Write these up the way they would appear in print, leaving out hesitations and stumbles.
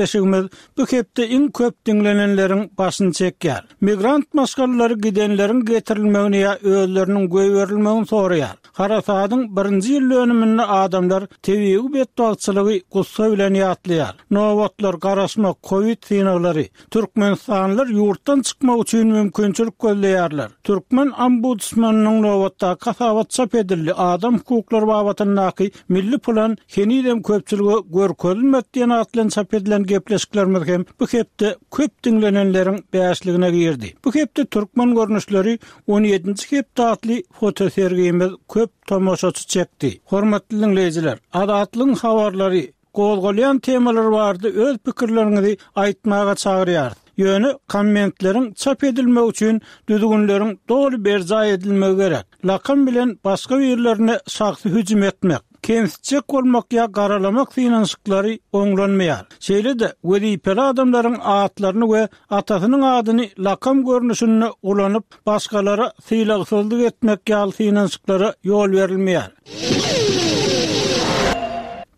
Gepleşigimiz bu hepde iň köp diňlenenleriň başyny çekýär. Migrant maşgalalary gidenleriň getirilmegini ýa özleriniň goýberilmegini soraýar. Harasadyň birinji ýyl dönüminde adamlar tebigy betbagtçylygy gussa bilen ýatlaýar. Nobatlar, garaşmak, kowid synaglary. Türkmenistanlylar ýurtdan çykmak üçin mümkinçilik gözleýärler. Türkmen ombudsmanynyň nobatdaky hasabaty çap edildi, adam hukuklary babatyndaky milli plan henizem köpçülige görkezilmedi diýen at bilen çap edilen gepleşiklerimiz hem bu hepde köp diňlenenleriň bäşligine girdi. Bu hepde Türkmen görnüşleri on ýedinji hepde atly fotosergimiz köp tomaşaçy çekdi. Hormatly diňleýjiler, Azatlygyň habarlary, Gozgalýan temalar barada öz pikirleriňizi aýtmaga çagyrýarys. Ýöne kommentleriň çap edilmegi üçin düzgünleriň doly berjaý edilmegi gerek. Lakam bilen başga birlerine şahsy hüjüm etmek, kemsitjek bolmak ýa garalamak synanyşyklary oňlanmaýar. Şeýle-de wezipeli adamlaryň atlaryny we atasynyň adyny lakam görnüşinde ulanyp, başgalara sylagsyzlyk etmek ýaly synanyşyklara ýol berilmeýär.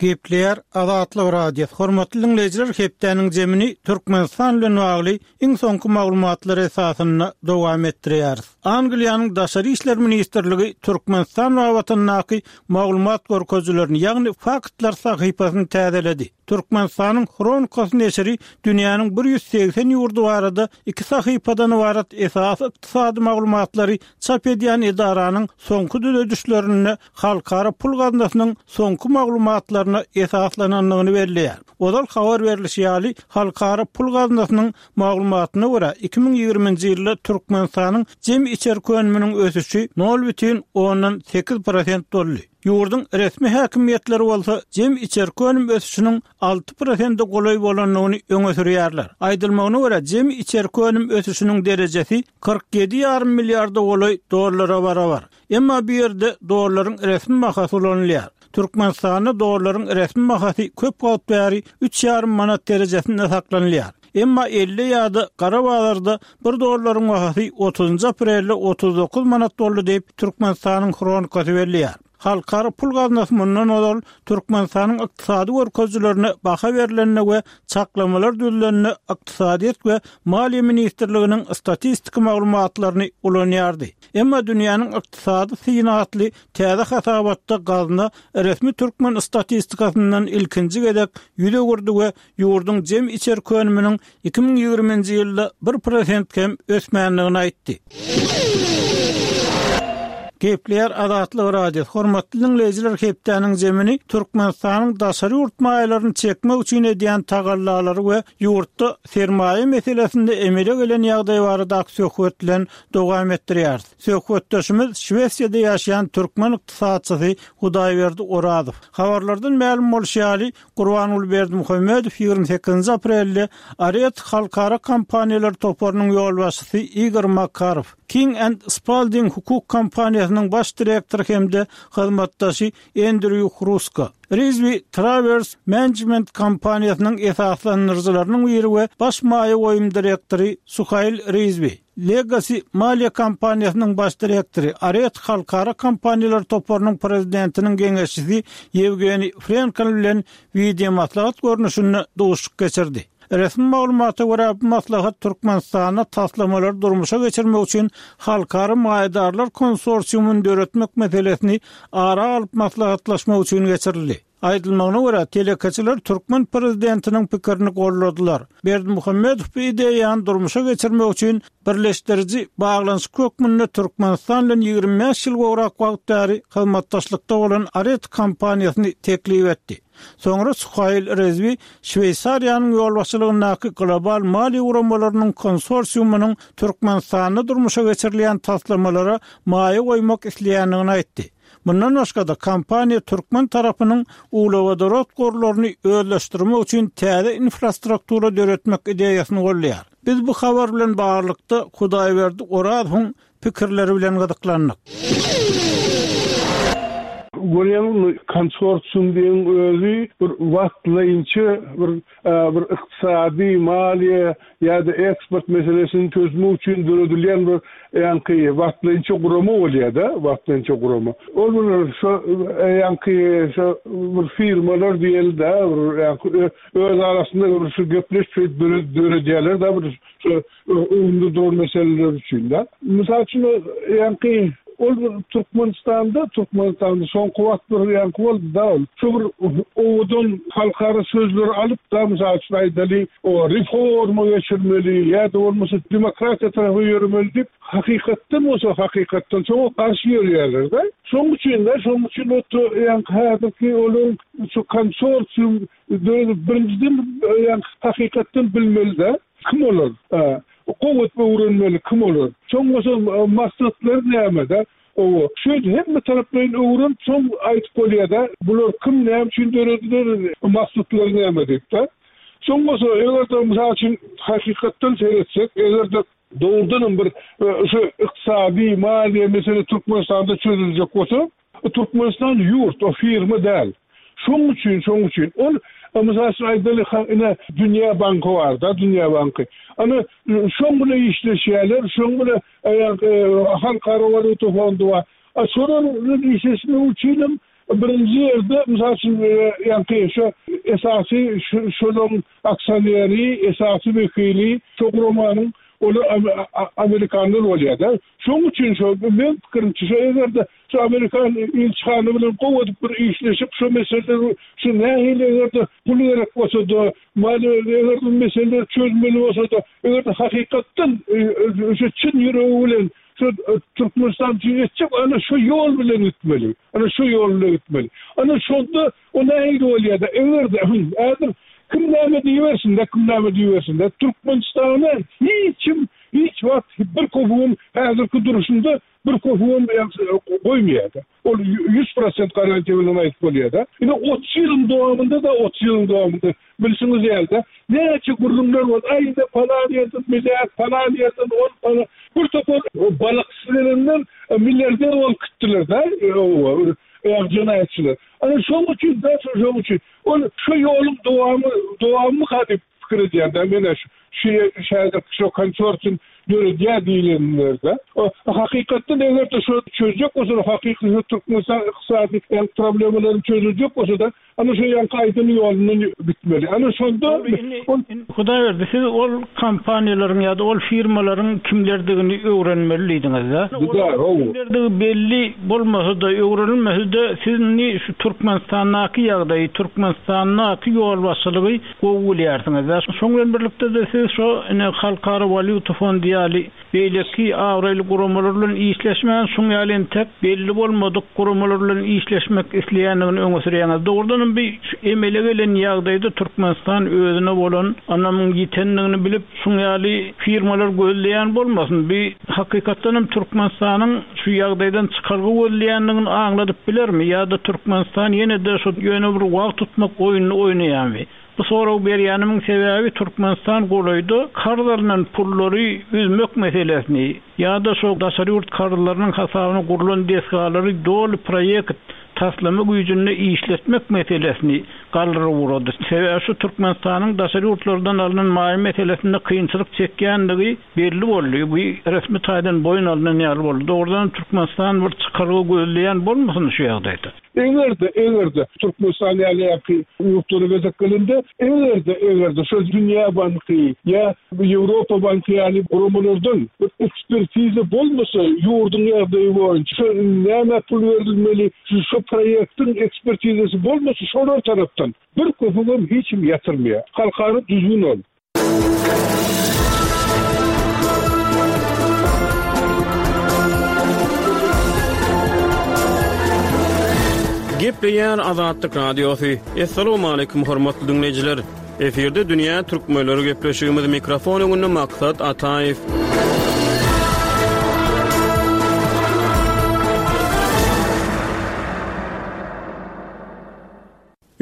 Gepleýär Azatlyk Radiosy. Hormatly diňleýjiler, hepdäniň jemini Türkmenistan bilen bagly iň soňky maglumatlar esasynda dowam etdirýäris. Angliýanyň Daşary işler ministrligi Türkmenistan babatyndaky maglumat görkezijilerini, ýagny faktlar sahypasyny täzeledi. Türkmenistanyň Hronikasy neşiri dünýäniň 180 ýurdy barada iki sahypadan ybarat esasy ykdysady maglumatlary çap edýän edaranyň soňky düzedişlerinde Halkara pul gaznasynyň soňky maglumatlaryna esaslanandygyny belleýär. Ozal habar berlişi ýaly, Halkara pul gaznasynyň maglumatyna görä, 2020-nji ýylda Türkmenistanyň jemi içerki önüminiň ösüşi nol bütin ondan sekiz prosent boldy. Ýurduň resmi häkimiýetleri bolsa jemi içerki önüm ösüşiniň 6 prosente golaý bolandygyny öňe sürýärler. Aýdylmagyna görä, jemi içerki önüm ösüşiniň derejesi 47 ýarym milliarda golaý dollara barabar. Emma bu ýerde dollaryň resmi bahasy ulanylýar. Türkmenistanda dollaryň resmi bahasy köp wagt bäri üç ýarym manat derejesinde saklanylýar. Emma elde ýa-da gara bazarda bir dollaryň bahasy otuzynjy aprelde 39 manat boldy diýip, Türkmenistanyň Hronikasy belleýär. Halkara pul gaznasy mundan ozal Türkmenistanyň ykdysady görkezijilerine baha berlende we çaklamalar düzlende Ykdysadyýet we maliýe ministrliginiň statistiki maglumatlaryny ulanýardy. Emma Dünýäniň ykdysady syny atly täze hasabatda gazna resmi türkmen statistikasyndan ilkinji gezek ýüz öwürdi we ýurduň jemi içerki önüminiň 2020-nji ýylda bir prosent kem ösmändigini aýtdy. Gepleýär Azatlyk Radiosy, Hormatly diňleýjiler hepdäniň jemini Türkmenistanyň daşary ýurt maýalaryny çekmek üçin edýän tagallalary we ýurtda sermaýa meselesinde emele gelen ýagdaý baradaky söhbet bilen dowam etdirýäris. Söhbetdeşimiz Şwesiýada ýaşaýan türkmen ykdysatçysy Hudaýberdi Orazow. Habarlardan mälim bolşy ýaly, Gurbanguly Berdimuhamedow 28-nji aprelde Aret halkara kompaniýalar toparynyň ýolbaşçysy Igor Makarow, King and Spalding hukuk kompaniýasynyň baş direktory hem-de hyzmatdaşy Endrýu Hruska, Rizwi Travers Management kompaniýasynyň esaslandyryjylarynyň biri we baş maýa goýum direktory Suhail Rizwi, Legacy maliýe kompaniýasynyň baş direktory, Aret halkara kompaniýalar toparynyň prezidentiniň geňeşçisi Ýewgeniý Frenkel bilen wideomaslahat görnüşinde duşuşyk geçirdi. Resmi maglumata görä, bu maslahat Türkmenistanda taslamalary durmuşa geçirmek üçin halkara maýadarlar konsorsiumyny döretmek meselesini ara alyp maslahatlaşmak üçin geçirildi. Aýdylmagyna görä, telekeçiler türkmen prezidentiniň pikirini goldadylar. Berdimuhamedow bu ideýany durmuşa geçirmek üçin birleşdiriji baglanyşyk hökmünde Türkmenistan bilen 25 ýyl gowrak wagt bäri hyzmatdaşlykda bolan Aret kompaniýasyny teklip etdi. Soňra Suhail Rezwi Şweýsariýanyň ýolbaşçylygyndaky global maliýe guramalarynyň konsorsiumynyň Türkmenistanda durmuşa geçirilýän taslamalara maýa goýmak isleýändigini aýtdy. Mundan başga-da, kompaniýa türkmen tarapynyň uglewodorod gorlaryny özleşdirmek üçin täze infrastruktura döretmek ideýasyny goldaýar. Biz bu habar bilen baglylykda Hudaýberdi Orazowyň pikirleri bilen gyzyklandyk. Görýäňizmi, konsorsium diýen özi bir wagtlaýynça bir bir ykdysady, maliýe ýa-da eksport meselesini çözmek üçin döredilýän bir ýaňky wagtlaýynça gurama bolýar-da, wagtlaýynça gurama. Ol bir şo ýaňky şo bir firmalar diýeli-de, bir ýaňky öz arasynda bir şu gepleşip şeýdip döredýärler-de bir şo öňünde duran meseleler üçin-de. Mysal üçin, ýaňky ol bir Türkmenistanda, Türkmenistanda soňky wagt bir ýaňky boldy-da ol. Şo bir owadan halkara sözleri alyp-da, mysal üçin aýdaly, o reforma geçirmeli ýa-da bolmasa demokratiýa tarapa ýöremeli diýip, hakykatdan bolsa hakykatdan şoňa garşy ýörýärler-de. Şoň üçin-de, şoň üçin o ýaňky häzirki olaryň şu konsorsium döredip, birinjiden ýaňky hakykatdan bilmeli-de. Kim olar? Gowy edip öwrenmeli kim olar? Soň bolsa maksatlary nämede? Owa, şeýdip hemme taraplaýyn öwrenip soň aýdyp bolýada, bular kim, näme üçin dörediler, maksatlary näme diýip-de. Soň bolsa eger-de mysal üçin hakykatdan seretsek, eger-de dogrudanam bir şu ykdysady, maliýe mesele Türkmenistanda çözüljek bolsa, Türkmenistan ýurt, o firma däl. Şoň üçin, şoň üçin ol, mysal üçin aýdaly, ha, ine, Dünýä banky bar-da, Dünýä banky. Ana, şoň bilen işleşýärler, şoň bilen Halkara walýuta fondy bar. A şolar bilen işleşmek üçinem birinji ýerde, mysal üçin, ýaňky şo esasy şolaryň aksioneri, esasy wekili şo guramanyň olar amerikanlar bolýar-da. Şoň üçin şo meň pikirimçe şo egerde şu amerikan ilçihana bilen gowy edip bir işleşip şo meseleleri şu nähili egerde pul gerek bolsada maliýe eger bu meseleleri çözmeli bolsada egerde hakykatdan şu çyn ýüregi bilen şu Türkmenistan üçin etjek ana şu ýol bilen gitmeli ana şu ýol bilen gitmeli ana şonda o nähili bolýada egerde häzir kim näme diýibersin-de kim näme diýibersin-de Türkmenistana hiç kim Hiç wagt bir köpügem häzirki duruşynda bir köpügem goýmaýar-da. Ol 100% garantiýa bilen aýdyp bolýar-da. Ine 30 ýylyň dowamynda-da 30 ýylyň dowamynda bilşiňiz ýaly-da näçe gürrüňler boldy. Aý ine palan ýerden milliard, palan ýerden ol palan. Bir topar balykçy gelenler milliarder bolup gitdiler-de, jenaýatçylar. Ana şoň üçin-de, şoň üçin ol şu ýoluň dowamy, dowamymyka diýip pikir edýän-dä men-ä şu şu häzirki şu konsorsium döredýär diýlenlerde. Hakykatdan eger-de şu çözjek bolsalar hakyky şu Türkmenistan ykdysady ýa problemalaryny çözüljek bolsa-da ana şu ýaňky aýdan ýolundan gitmeli. Ana şonda ol Hudaýberdi siz ol kompaniýalaryň ýa-da ol firmalaryň kimlerdigini öwrenmeli diýdiňiz-dä. Kimlerdigi belli bolmasa-da, öwrenilmese-de siz indi şu Türkmenistandaky ýagdaýy, Türkmenistandaky ýolbaşçylygy Gowy bilýärsiňiz. Şoň bilen birlikde-de siz şo ine Halkara walýuta fondy ýaly beýleki abraýly guramalar bilen işleşmän, şuň ýaly entek belli bolmadyk guramalar bilen işleşmek isleýändigini öňe sürýäňiz. Dogrudanam bi şu emele gelen ýagdaýda Türkmenistan özüne bolan ynamyň ýitendigini bilip, şuň ýaly firmalar gözleýän bolmasyn. Bi hakykatdanam Türkmenistanyň şu ýagdaýdan çykalga gözleýändigini aňladyp bilermi ýa-da Türkmenistan ýene-de şu ýöne bir wagt tutmak oýnuny oýnaýarmy? Bu soragy berýänimiň sebäbi Türkmenistan golaýda karz alnan pullary üzmek meselesini ýa-da şo daşary ýurt karzlarynyň hasabyna gurlan desgalary doly proýekt, taslama güýjünde işletmek meselesini galdyryp ugrady. Sebäbi şu Türkmenistanyň daşary ýurtlardan alnan maýa meselesinde kynçylyk çekýändigi Belli boldy, bu resmi taýdan boýun alnan ýaly boldy. Dogrudanam Türkmenistan bir çykalga gözleýän bolmasyn şu ýagdaýda? Eger-de, eger-de Türkmenistan ýaly ýaky ýurtlara gezek gelende, eger-de, eger-de şol Dünýä banky ýa Ýewropa banky ýaly guramalardan bir ekspertiza bolmasa ýurduň ýagdaýy boýunça, şo nämä pul berilmeli, şu proýektiň ekspertizasy bolmasa şolar tarapdan bir köpügem hiç kim ýatyrmaýar. Halkara düzgün ol. Gepleýär Azatlyk Radiosy. Assalamualaikum hormatly diňleýjiler. Efirde dünýä türkmenleri gepleşigimiz mikrofon öňünde Maksat Ataýew.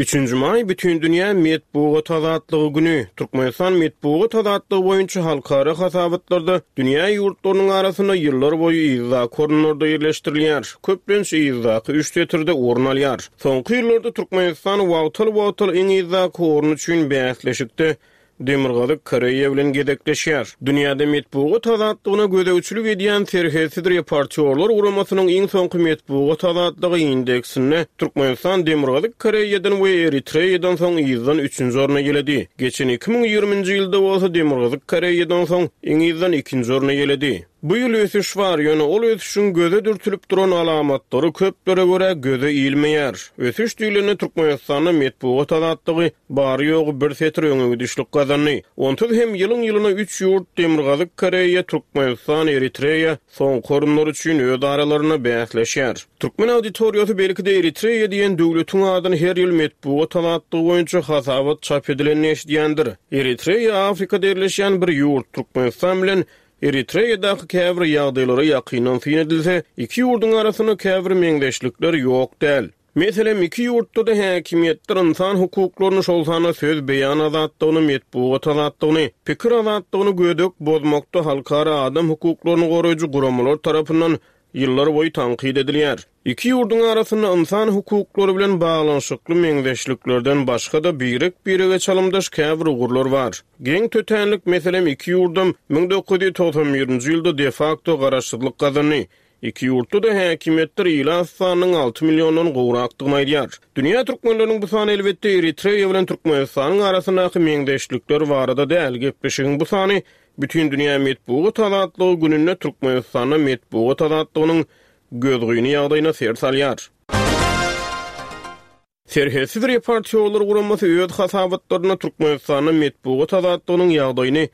Üçünji maý Bütindünýä metbugat azatlygy güni. Türkmenistan metbugat azatlygy boýunça halkara hasabatlarda dünýä ýurtlarynyň arasynda ýyllar boýy yzdaky orunlarda ýerleşdirilýär. Köplenç yzdaky üç setirde orun alýar. Soňky ýyllarda Türkmenistan wagtal-wagtal iň yzdaky orun üçin bäsleşikde Demirgazyk Koreýa bilen gezekleşýär. Dünýäde metbugat azatlygyna gözegçilik edýän Serhetsiz reportýorlar guramasynyň iň soňky metbugat azatlygy indeksinde Türkmenistan Demirgazyk Koreýadan we Eritreýadan soň yzdan üçünji orny eýeledi. Geçen 2020-nji ýylda bolsa Demirgazyk Koreýadan soň iň yzdan ikinji orny eýeledi. Bu ýyl ösüş bar, ýöne ol ösüşiň göze dürtülip duran alamatlary köplere görä göze ilmeýär. Ösüş diýlende Türkmenistanda metbugat azatlygy bary-ýogy bir setir öňe gidişlik gazandy. Onsuz hem ýylyň-ýylyna üç ýurt, Demirgazyk Koreýa, Türkmenistan, Eritreýa soňky orunlar üçin öz aralarynda bäsleşýär. Türkmen auditoriýasy belki-de Eritreýa diýen döwletiň adyny her ýyl metbugat azatlygy boýunça hasabat çap edilende eşidýändir. Eritreýa Afrikada ýerleşýän bir ýurt, Türkmenistan bilen Eritreýadaky käbir ýagdaýlara ýakyndan syn edilse, iki ýurduň arasynda käbir meňzeşlikler ýok däl. Meselem, iki ýurtda-da häkimiýetler ynsan hukuklaryny, şol sanda söz beýan azatlygyny, metbugat azatlygyny, pikir azatlygyny gödek bozmakda halkara adam hukuklaryny goraýjy guramalar tarapyndan ýyllar boýy tankyt edilýär. Iki ýurduň arasynda ynsan hukuklary bilen baglanyşykly meňzeşliklerden başga-da birek-birege çalymdaş käbir ugurlar bar. Geň tötänlik, meselem, iki ýurdam 1991-nji ýylda de-fakto garaşsyzlyk gazandy. Iki ýurtda-da häkimiýetler ilat sanynyň alty milliondan gowrakdygyny aýdýar. Dünýä türkmenleriniň bu sany elbetde Eritreýa bilen Türkmenistanyň arasyndaky meňzeşlikler barada däl, gepleşigiň bu sany Bütindünýä metbugat azatlygy gününde Türkmenistanda metbugat azatlygynyň gözgyny ýagdaýyna ser salýar. Serhetsiz reportýorlar guramasy öz hasabatlarynda Türkmenistanda metbugat azatlygynyň ýagdaýyny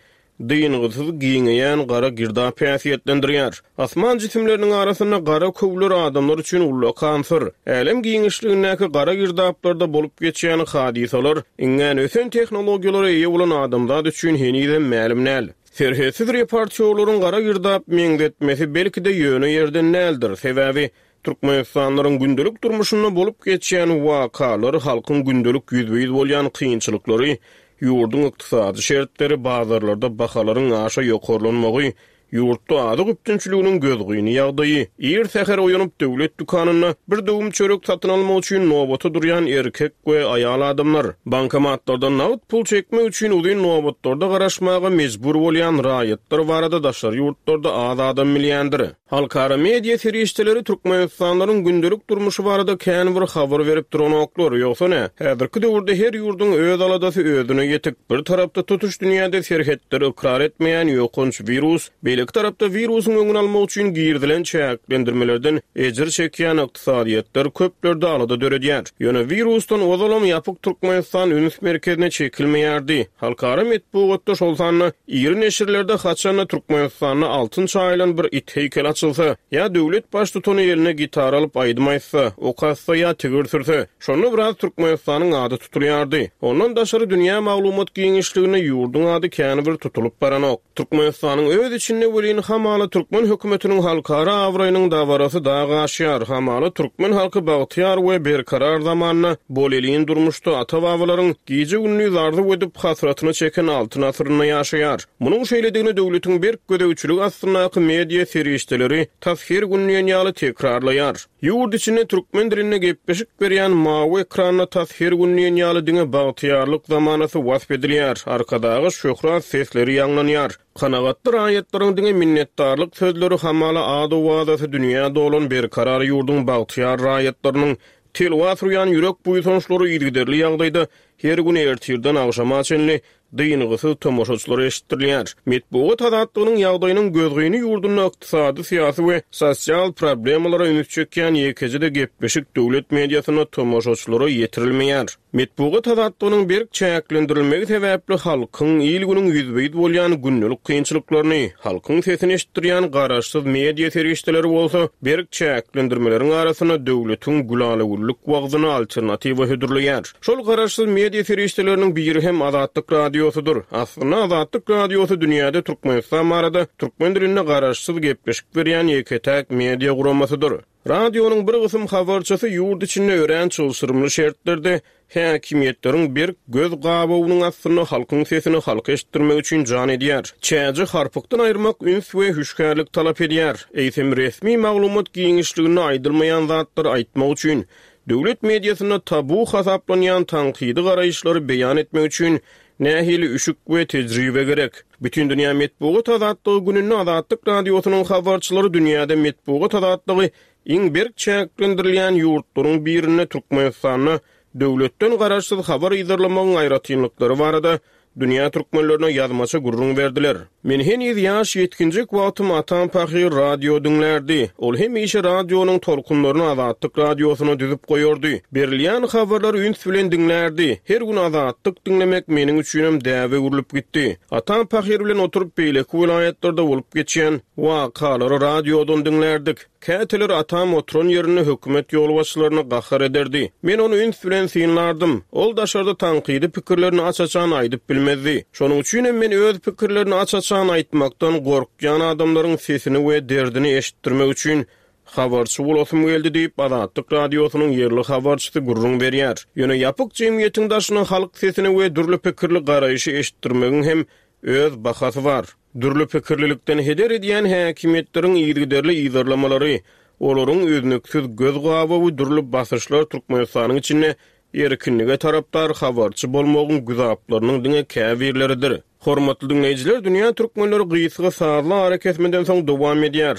dyngysyz giňeýän gara girdap häsiýetlendirýär. Asman jisimleriniň arasynda gara köwler adamlar üçin ullakan syr. Älem giňişligindäki gara girdaplarda bolup geçýän hadysalar iňňän ösen tehnologiýalara eýe bolan adamzat üçin henizem mälim däl. Serhetsiz reportýorlaryň gara girdap meňzetmesi belki-de ýöne ýerden däldir. Sebäbi türkmenistanlylaryň gündelik durmuşynda bolup geçýän wakalar, halkyň gündelik ýüzbe-ýüz bolýan kynçylyklary, ýurduň ykdysady şertleri, bazarlarda bahalaryň aşa ýokarlanmagy, Ýurtda azyk üpjünçiliginiň gözgyny ýagdaýy, ir säher oýanyp döwlet dükanynda bir döwüm çörek satyn almak üçin nobata durýan erkek we aýal adamlar, bankomatlardan nagt pul çekmek üçin uzyn nobatlarda garaşmaga mejbur bolýan raýatlar barada daşary ýurtlarda az adam bilýändir. Halkara media serişdeleri türkmenistanlylaryň gündelik durmuşy barada kän bir habar berip duranoklar. Ýogsa nä, häzirki döwürde her ýurduň öz aladasy özüne ýetik. Bir tarapda tutuş dünýäde serhetleri ykrar etmeýän ýokanç wirus, beýleki tarapda wirusyň öňüni almak üçin girizilen çäklendirmelerden ejir çekýän ykdysadyýetler köplerde alada döredýär. Ýöne wirusdan ozalam ýapyk Türkmenistan üns merkezine çekilmeýärdi. Halkara metbugatda, şol sanda iri neşirlerde haçan-da Türkmenistanda altyn çaýylan bir it heýkeli açylsa, ýa döwlet baştutany eline gitara alyp aýdym aýtsa, ok atsa ýa tigir sürse, Şonda biraz Türkmenistanyň ady tutulýardy. Ondan daşary dünýä maglumat giňişliginde ýurduň ady kän bir tutulyp baranok. Türkmenistanyň öz içinde welin hamala türkmen hökümetiniň halkara abraýynyň dabarasy dag aşýar, hamala türkmen halky bagtyýar we berkarar zamanda, bolelin durmuşda ata-babalaryň gije-gündiz arzuw edip hasratyny çeken altyn asyrynda ýaşaýar. Munuň şeýledigini döwletiň berk gözegçiligi astyndaky media serişdeleri tas her gün diýen ýaly tekrarlaýar. Ýurt içinde türkmen dilinde gepleşik berýän mawy ekranda tas her gün diýen ýaly diňe bagtyýarlyk zamanasy wasp edilýär, Arkadaga şöhrat sesleri ýaňlanýar. Kanagatly raýatlaryň diňe minnetdarlyk sözleri hamala ad-owazasy dünýä dolan berkarar ýurduň bagtyýar raýatlarynyň telwas urýan ýürek buýsançlary yzygiderli ýagdaýda her gün ertirden agşama çenli dyngysyz tomaşaçylara eşitdirilýär. Metbugat azatlygynyň ýagdaýynyň gözgyny ýurdunda ykdysady, syýasy we sosial problemalara üns çekýän ýekeje-de gepleşik döwlet mediasynda tomaşaçylara ýetirilmeýär. Metbugat azatlygynyň berk çäklendirilmegi sebäpli halkyň, il-günüň ýüzbe-ýüz bolýan gündelik kynçylyklaryny, halkyň sesini eşitdirýän garaşsyz media serişdeleri bolsa berk çäklendirmeleriň arasynda döwletiň gülala-güllük wagzyna alternatiwa hödürleýär. Şol garaşsyz media. media serişdeleriniň biri hem Azatlyk Radiosydyr. Aslynda Azatlyk Radiosy dünýäde Türkmenistan barada türkmen dilinde garaşsyz gepleşik berýän ýeke-täk media guramasydyr. Radionyň bir gysym habarçysy ýurt içinde örän çylşyrymly şertlerde häkimiýetleriň berk göz gabawynyň astynda halkyň sesini halka eşitdirmek üçin jan edýär. Çäji harpykdan aýyrmak üns we hüşgärlik talap edýär. Eýsem resmi maglumat giňişliginde aýdylmaýan zatlary aýtmak üçin, döwlet mediasynda tabu hasaplanýan tankydy garaýyşlary beýan etmek üçin nähili üşük we tejribe gerek? Bütindünýä metbugat azatlygy gününde Azatlyk Radiosynyň habarçylary dünýäde metbugat azatlygy iň berk çäklendirilýän ýurtlaryň birinde Türkmenistanda döwletden garaşsyz habar yzarlamagyň aýratynlyklary barada dünýä türkmenlerine ýazmaça gürrüň berdiler. Men heniz ýaş ýetginjek wagtym atam pahyr radio diňlärdi. Ol hemişe radionyň tolkunlaryny Azatlyk radiosyna düzüp goýardy. Berilýän habarlary üns bilen diňlärdi. Her gün Azatlyk diňlemek meniň üçinem däbe öwrülip gitdi. Atam pahyr bilen oturyp beýleki welaýatlarda bolup geçýän wakalary radiodan diňlärdik. Käteler atam oturan ýerinde hökümet ýolbaşçylaryna gahar ederdi. Men ony üns bilen synlardym. Ol daşarda tankydy pikirlerini aç-açan aýdyp bilmezdi. Şonuň üçinem men öz pikirlerini aç-açan aýtmakdan gorkýan adamlaryň sesini we derdini eşitdirmek üçin habarçy bolasym geldi diýip, Azatlyk Radiosynyň ýerli habarçysy gürrüň berýär. Ýöne ýapyk jemgyýetiň daşyna halk sesini we dürli pikirli garaýşy eşitdirmegiň hem öz bahasy bar. Dürli pikirlilikden heder edýän häkimiýetleriň yzygiderli yzarlamalary, olaryň üznüksiz göz gabawy dürli basyşlar Türkmenistanyň içinde erkinlige tarapdar habarçy bolmagyň güzaplarynyň diňe käbirleridir. Hormatly diňleýjiler, Dünýä Türkmenleri gysga sazly arakesmeden soň dowam edýär.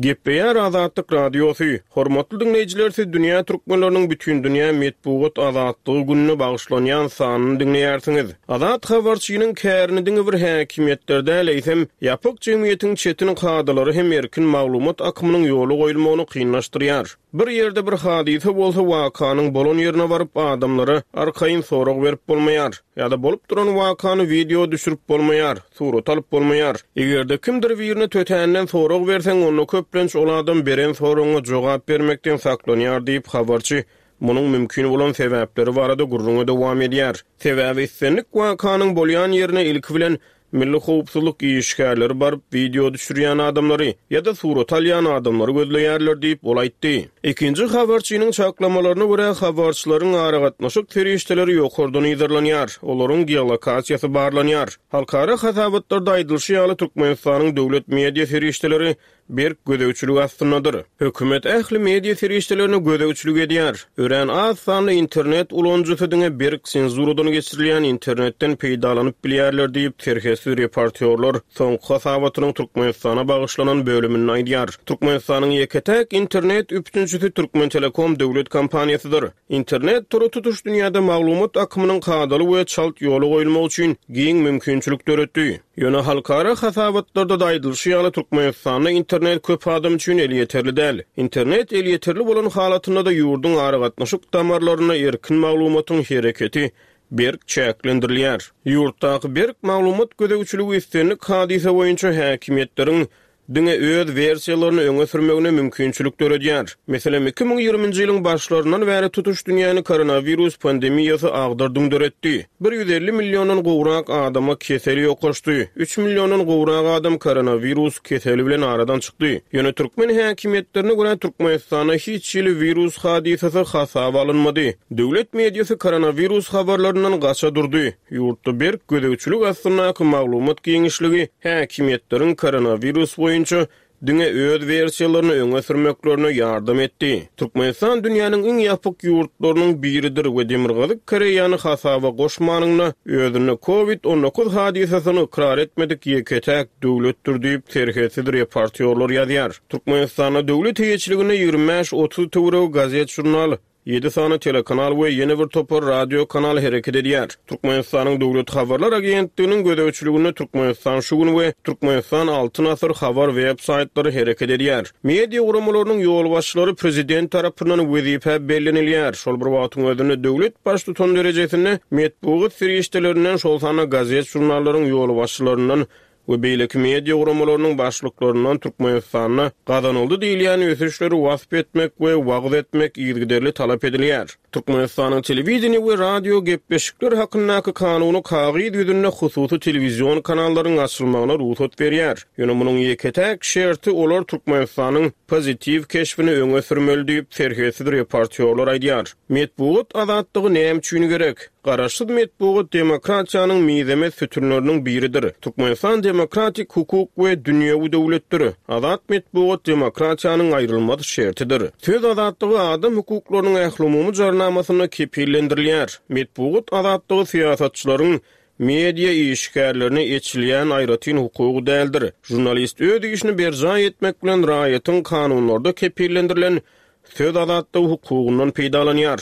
Gepleýär Azatlyk Radiosy. Hormatly diňleýjiler siz dünýä türkmenleriniň bütindünýä metbugat azatlygy gününe bagyşlanýan sanyny diňleýärsiňiz. Azat habarçynyň kärini diňe bir häkimiýetler däl, eýsem, ýapyk jemgyýetiň çetin kadalary hem erkin maglumat akymynyň ýola goýulmagyny kynlaşdyrýar. Bir ýerde bir hadysa bolsa, wakanyň bolan ýerine baryp, adamlara arkaýyn sorag berip bolmaýar. Ýa-da bolup duran wakany wideo düşürip bolmaýar, surata alyp bolmaýar. Eger-de kimdir birine tötänden sorag berseň, onda köplenç ol adam beren soragyňa jogap bermekden saklanýar diýip, habarçy munuň mümkin bolan sebäpleri barada gürrüňe dowam edýär. Sebäbi islendik wakanyň bolýan ýerine ilki bilen milli howpsuzlyk işgärleri baryp, wideo düşürýän adamlary ýa-da surata alýan adamlary gözleýärler diýip, ol aýtdy. Ikinji habarçynyň çaklamalaryna görä, habarçylaryň aragatnaşyk serişdeleri ýokardan yzarlanýar, olaryň geolokasiýasy barlanýar. Halkara hasabatlarda aýdylyşy ýaly, Türkmenistanyň döwlet media serişdeleri berk gözegçilik astyndadyr. Hökümet ähli media serişdelerine gözegçilik edýär. Örän az sanly internet ulanyjysy diňe berk senzuradan geçirilýän internetden peýdalanyp bilýärler diýip, Serhetsiz reportýorlar soňky hasabatynyň Türkmenistana bagyşlanan bölüminde aýdýar. Türkmenistanyň ýeke-täk internet üpjünçisi Türkmentelekom döwlet kompaniýasydyr. Internet tory tutuş dünýäde maglumat akymynyň kadaly we çalt ýola goýulmagy üçin giň mümkinçilik döretdi. Ýöne halkara hasabatlarda-da aýdylyşy ýaly, Türkmenistanda internet köp adam üçin elýeterli däl. Internet elýeterli bolan halatynda-da ýurduň aragatnaşyk damarlarynda erkin maglumatyň hereketi berk çäklendirilýär. Ýurtdaky berk maglumat gözegçiligi islendik hadysa boýunça häkimiýetleriň diňe öz wersiýalaryny öňe sürmegine mümkinçilik döredýär. Meselem, 2020-nji ýylyň başlaryndan bäri tutuş dünýäni koronawirus pandemiýasy agdar-düňder etdi. Bir 150 milliondan gowrak adama kesel ýokaşdy, üç milliondan gowrak adam koronawirus keseli bilen aradan çykdy. Ýöne türkmen häkimiýetlerine görä, Türkmenistanda hiç hili wirus hadysasy hasaba alynmady. Döwlet mediasy koronawirus habarlaryndan gaça durdy. Ýurtda berk gözegçilik astyndaky maglumat giňişligi häkimiýetleriň koronawirus boýunça diňe öz wersiýalaryny öňe sürmeklerine ýardam etdi. Türkmenistan dünýäniň iň ýapyk ýurtlarynyň biridir we Demirgazyk Koreýany hasaba goşmanynda özünde Covid 19 hadysasyny ykrar etmedik ýeke-täk döwletdir diýip, serhetsiz reportýorlar ýazýar. Türkmenistanda döwlet eýeçiliginde 25-30 töweregi gazet-žurnal. Ýedi sany telekanal we ýene bir topar radio kanal hereket edýär. Türkmenistanyň Döwlet habarlar agentliginiň gözegçiliginde Türkmenistan şu gün we Türkmenistan Altyn asyr habar web saýtlary hereket edýär. Media guramalarynyň ýolbaşçylary prezident tarapyndan wezipä bellenilýär. Şol bir wagtyň özünde döwlet baştutany derejesinde metbugat serişdelerinden, şol sanda gazet-žurnallaryň ýolbaşçylaryndan we beýleki media guramalarynyň başlyklaryndan Türkmenistanda gazanyldy diýilýän ösüşleri wasp etmek we wagyz etmek yzygiderli talap edilýär. Türkmenistanyň Telewideniýe we radio gepleşikler hakyndaky kanuny kagyz ýüzünde hususy telewizion kanallaryň açylmagyna rugsat berýär. Ýöne munuň ýeke-täk şerti olar Türkmenistanyň pozitiw keşbini öňe sürmeli diýip, serhetsiz reportýorlar aýdýar. Metbugat azatlygy näme üçin gerek? Garaşsyz metbugat demokratiýanyň mizemez sütünleriniň biridir. Türkmenistan demokratik, hukuk we dünýewi döwletdir. Azat metbugat demokratiýanyň aýrylmaz şertidir. Söz azatlygy adam hukuklarynyň ählumumy jarnamasynda kepillendirilýär. Metbugat azatlygy syýasatçylaryň, media işgärlerine eçilýän aýratyn hukugy däldir. Žurnalist öz işini berjaý etmek bilen raýatyň kanunlarda kepillendirilen söz azatlygy hukugyndan peýdalanýar.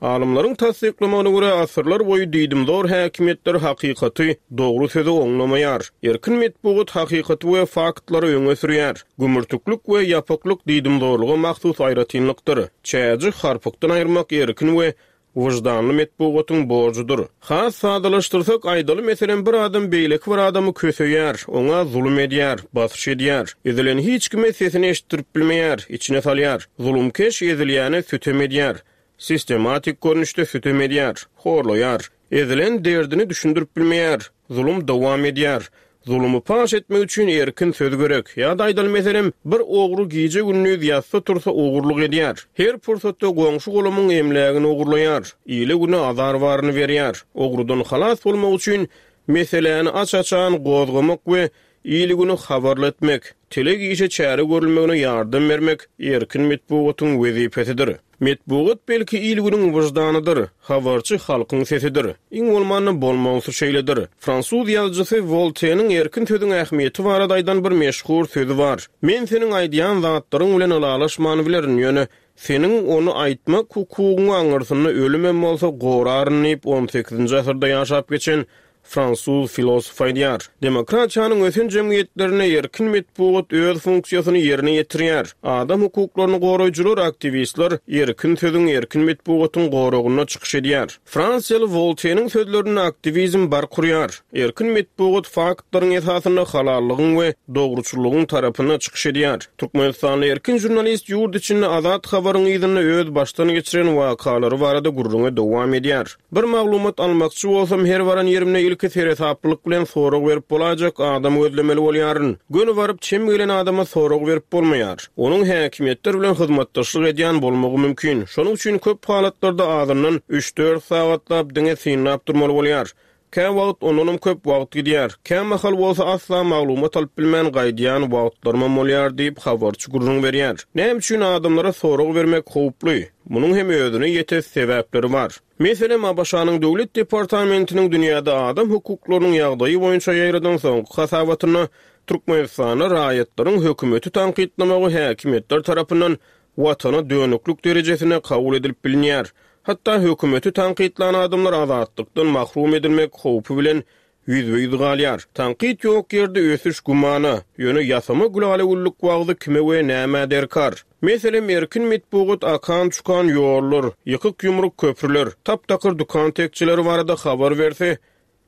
Alymlaryň tassyklamagyna görä, asyrlar boýy diýdimzor häkimiýetler hakykaty, dogry sözi oňlamaýar. Erkin metbugat hakykaty we faktlary öňe sürýär. Gümürtiklik we ýapyklyk diýdimzorluga mahsus aýratynlykdyr. Çäji harpykdan aýyrmak erkin we wyždanly metbugatyň borjudyr. Has sadalaşdyrsak, aýdaly, meselem, bir adam beýleki bir adamy köseýär, oňa zulum edýär, basyş edýär. Ezilen hiç kime sesini eşitdirip bilmeýär, içine salýar. Zulumkeş ezilýäne sütem edýär. Sistematik görnüşde sütem edýär, horlaýar. Ezilen derdini düşündirip bilmeýär. Zulum dowam edýär. Zulumy paş etmek üçin erkin söz gerek. Ýa-da aýdaly meselem, bir ogry gije-gündiz ýatsa-tursa ogurlyk edýär. Her pursatda goňşy-golamyň emlägini ogurlaýar. Ile-güne azar baryny berýär. Ogrudan halas bolmak üçin meseläni aç-açan gozgamak we Il-güni habarly etmek, telek işe çäre görülmegine ýardam bermek erkin metbugatyň wezipesidir. Metbugat belki il-günüň wyždanydyr, habarçy halkyň sesidir. Iň bolmanda bolmalysy şeýledir. Fransuz ýazyjysy Wolteniň erkin sözüň ähmiýeti barada aýdan bir meşhur sözi bar, Men seniň aýdýan zatlaryň bilen ylalaşman bilerin, ýöne seniň ony aýtmak hukugyňy aňyrsynda ölümem bolsa goraryn diýip, on sekizinji asyrda ýaşap geçen Fransuz filosofy aýdýar, Demokratiýanyň ösen jemgyýetlerinde erkin metbugat öz funksiýasyny ýerine ýetirýär. Adam hukuklaryny goraýjylar, aktiwistler erkin sözüň, erkin metbugatyň goragynda çykyş edýär. Fransiýaly Wolteniň sözlerinde aktiwizm bark urýar. Erkin metbugat faktlaryň esasynda halallygyň we dogruçyllygyň tarapynda çykyş edýär. Türkmenistanly erkin žurnalist ýurt içinde azat habaryň yzynda öz başdan geçiren wakalary barada gürrüňe dowam edýär. Bir maglumat almakçy bolsam, her baran ýerimde ilki seresaplylyk bilen sorag berip bolaýjak adam gözlemeli bolýaryn. Göni baryp, çem gelen adama sorag berip bolmaýar. Onuň häkimiýetler bilen hyzmatdaşlyk edýän bolmagy mümkin. Şonuň üçin köp halatlarda azyndan üç-dört sagatlap diňe synlap durmaly bolýar. Käwagt ondanam köp wagt gidýär. Kämahal bolsa asla maglumat alyp bilmän gaýdýan wagtlarymam bolýar diýip, habarçy gürrüň berýär. Näme üçin adamlara sorag bermek howply? Munuň hem özüne ýetes sebäpleri bar. Meselem, ABŞ-nyň Döwlet departamentiniň dünýäde adam hukuklarynyň ýagdaýy boýunça ýaýradan soňky hasabatynda Türkmenistanda raýatlaryň hökümeti tankytlamagy häkimiýetler tarapyndan watana dönüklik derejesinde kabul edilip bilinýär. Hatda hökümeti tankytlan adamlar azatlykdan mahrum edilmek howpy bilen ýüzbe-ýüz galýar. Tankyt ýok ýerde ösüş gümana, ýöne ýasama gülala-güllük wagzy kime we nämä derkar? Meselem, erkin metbugat akan-çukan ýollar, ýykyk-ýumruk köprüler, tap-takyr dükan tekjeleri barada habar berse,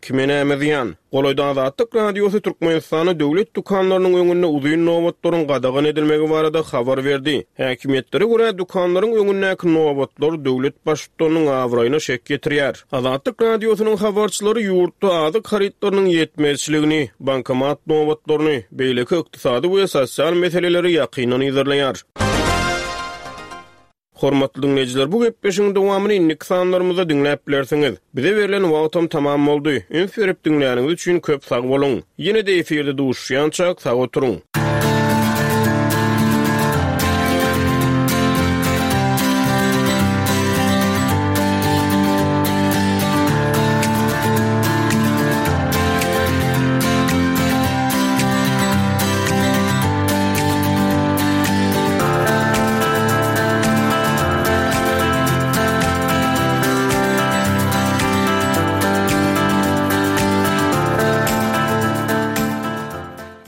Kime näme zyýan? Golaýda Azatlyk Radiosy Türkmenistanda döwlet dükanlarynyň öňünde uzyn nobatlaryň gadagan edilmegi barada habar berdi. Häkimiýetlere görä, dükanlaryň öňündäki nobatlar döwlet baştutanynyň abraýyna şek ýetirýär. Azatlyk Radiosynyň habarçylary ýurtda azyk harytlarynyň ýetmezçiligini, bankomat nobatlaryny, beýleki ykdysady we sosial meseleleri ýakyndan yzarlaýar. Hormatly diňleýjiler bu gepleşigiň dowamyny indiki sanlarymyzda diňläp bilersiňiz. Bize berlen wagtam tamam boldy. Üns berip diňläniňiz üçin köp sag boluň. Ýene-de efirde duşuşýançak sag oturyň.